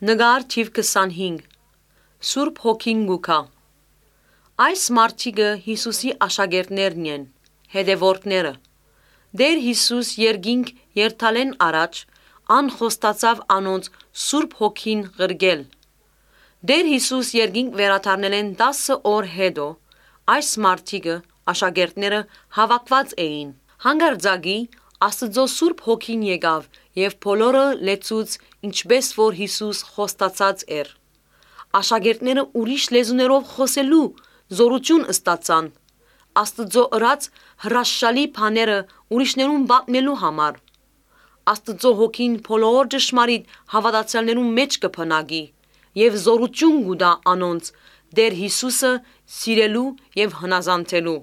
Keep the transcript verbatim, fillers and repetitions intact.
Նկար թիվ քսանհինգ։ Սուրբ Հոգին կու գայ։ Այս մարդիկը Յիսուսի աշակերտներն են, հետեւորդները։ Տէր Յիսուս երկինք երթալէն առաջ ան խոստացաւ անոնց Սուրբ Հոգին ղրկել։ Տէր Յիսուս երկինք վերադառնելէն տասը օր յետոյ այս մարդիկը, աշակերտները, հաւաքուած էին։ Հանկարծակի Աստուծոյ Սուրբ Հոգին եկաւ եւ բոլորը լեցուց, ինչպէս որ Յիսուս խոստացած էր։ Աշակերտները ուրիշ լեզուներով խօսելու զօրութիւն ստացան։ Աստուծոյ ըրած հրաշալի բաները ուրիշներուն պատմելու համար։ Աստուծոյ Հոգին բոլոր ճշմարիտ հաւատացեալներուն մէջ կը բնակի եւ զօրութիւն կու տայ անոնց Տէր Յիսուսը սիրելու եւ հնազանդելու։